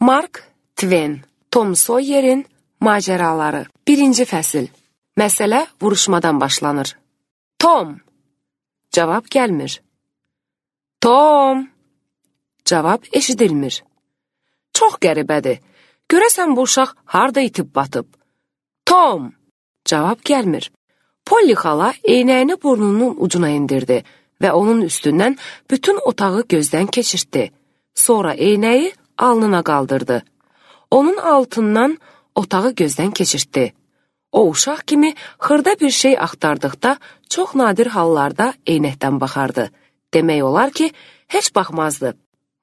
Mark Twain, Tom Sawyer'in macəraları. 1-ci fəsil. Məsələ vuruşmadan başlanır. Tom! Cavab gəlmir. Tom! Cavab eşidilmir. Çox qəribədir. Görəsən bu uşaq harda itib batıb? Tom! Cavab gəlmir. Polly xala eynəyini burnunun ucuna indirdi və onun üstündən bütün otağı gözdən keçirtdi. Sonra eynəyi alnına qaldırdı. Onun altından otağı gözdən keçirtdi. O uşaq kimi xırda bir şey axtardıqda çox nadir hallarda eynəkdən baxardı. Demək olar ki, heç baxmazdı.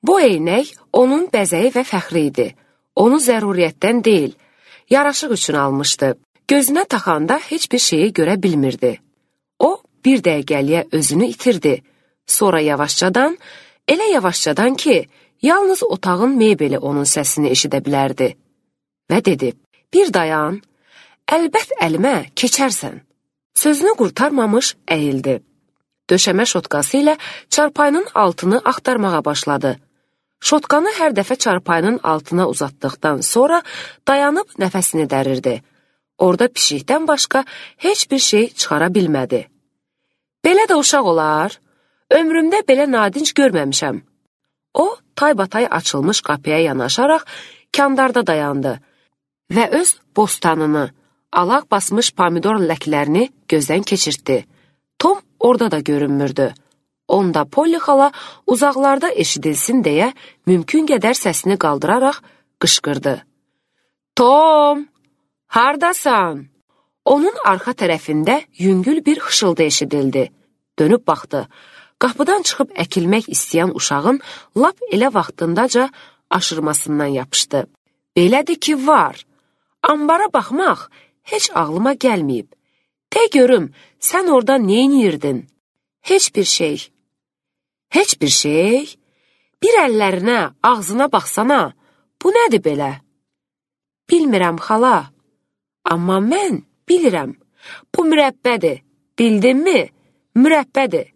Bu eynək onun bəzəyi və fəxri idi. Onu zəruriyyətdən deyil, yaraşıq üçün almışdı. Gözünə taxanda heç bir şeyi görə bilmirdi. O, bir dəqiqəliyə özünü itirdi. Sonra yavaşcadan, elə yavaşcadan ki, yalnız otağın mebeli onun səsini eşidə bilərdi. Və dedi, bir dayan, əlbət əlimə keçərsən. Sözünü qurtarmamış əyildi. Döşəmə şotqası ilə çarpayının altını axtarmağa başladı. Şotqanı hər dəfə çarpayının altına uzatdıqdan sonra dayanıb nəfəsini dərirdi. Orada pişikdən başqa heç bir şey çıxara bilmədi. Belə də uşaq olar, ömrümdə belə nadinc görməmişəm. O, taybatay açılmış qapıya yanaşaraq kandarda dayandı və öz bostanını, alaq basmış pomidor ləklərini gözdən keçirtdi. Tom orada da görünmürdü. Onda Polly xala uzaqlarda eşidilsin deyə mümkün qədər səsini qaldıraraq qışqırdı. Tom, hardasan? Onun arxa tərəfində yüngül bir xışıldı eşidildi. Dönüb baxdı. Qapıdan çıxıb əkilmək istəyən uşağın lap elə vaxtındaca aşırmasından yapışdı. Belədir ki, var. Ambara baxmaq heç ağlıma gəlməyib. De görüm, sən orada neyniyirdin? Heç bir şey. Heç bir şey? Bir əllərinə, ağzına baxsana. Bu nədir belə? Bilmirəm, xala. Amma mən bilirəm. Bu mürəbbədir. Bildinmi? Mürəbbədir.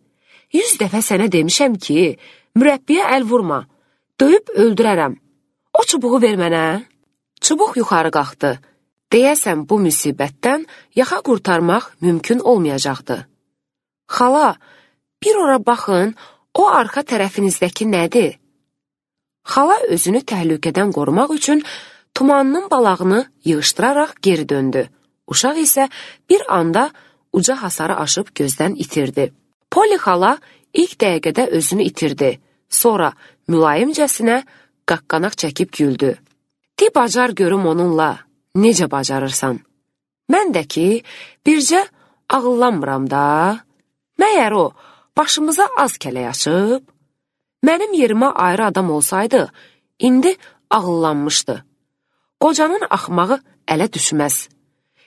100 dəfə sənə demişəm ki, mürəbbiyə əl vurma. Döyüb öldürərəm. O çubuğu ver mənə. Çubuq yuxarı qalxdı. Deyəsən bu müsibətdən yaxa qurtarmaq mümkün olmayacaqdı. Xala, bir ora baxın, o arxa tərəfinizdəki nədir? Xala özünü təhlükədən qorumaq üçün tumanının balağını yığışdıraraq geri döndü. Uşaq isə bir anda uca hasarı aşıb gözdən itirdi. Polly xala ilk dəqiqədə özünü itirdi. Sonra mülayimcəsinə qaqqanaq çəkib güldü. De bacar görüm onunla, necə bacarırsan? Mən də ki, bircə ağıllanmıram da. Məyər o, başımıza az kələk açıb? Mənim yerimə ayrı adam olsaydı, indi ağıllanmışdı. Qocanın axmağı ələ düşməz.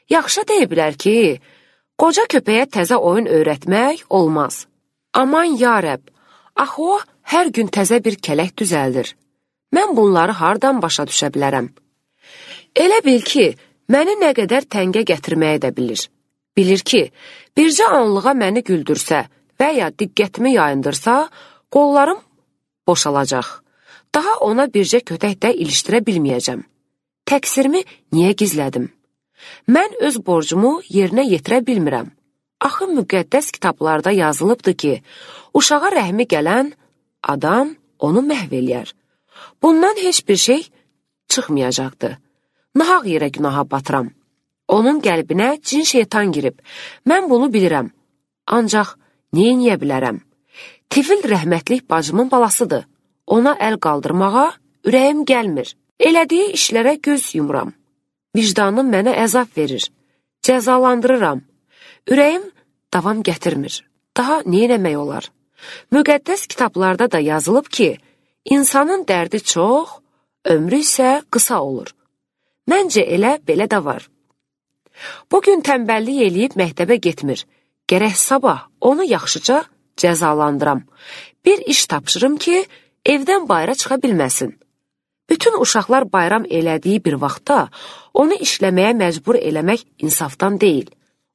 Yaxşı deyə bilər ki, qoca köpəyə təzə oyun öyrətmək olmaz. Aman yarəb, axı o hər gün təzə bir kələk düzəldir. Mən bunları hardan başa düşə bilərəm? Elə bil ki, məni nə qədər təngə gətirməyə də bilir. Bilir ki, bircə anlığa məni güldürsə və ya diqqətimi yayındırsa, qollarım boşalacaq. Daha ona bircə kötək də ilişdirə bilməyəcəm. Təqsirimi niyə gizlədim? Mən öz borcumu yerinə yetirə bilmirəm. Axı müqəddəs kitablarda yazılıbdır ki, uşağa rəhmi gələn adam onu məhv eləyər. Bundan heç bir şey çıxmayacaqdı. Nahaq yerə günaha batıram. Onun qəlbinə cin şeytan girib. Mən bunu bilirəm. Ancaq neyniyə bilərəm? Tifil rəhmətlik bacımın balasıdır. Ona əl qaldırmağa ürəyim gəlmir. Elədiyi işlərə göz yumuram. Vicdanım mənə əzab verir. Cəzalandırıram. Ürəyim davam gətirmir. Daha neynəmək olar? Müqəddəs kitablarda da yazılıb ki, insanın dərdi çox, ömrü isə qısa olur. Məncə elə belə də var. Bugün tənbəllik eləyib məktəbə getmir. Gərək sabah onu yaxşıca cəzalandıram. Bir iş tapşırım ki, evdən bayra çıxa bilməsin. Bütün uşaqlar bayram elədiyi bir vaxtda onu işləməyə məcbur eləmək insafdan deyil.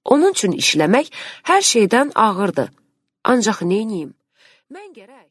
Onun üçün işləmək hər şeydən ağırdır. Ancaq neyniyim? Mən gərək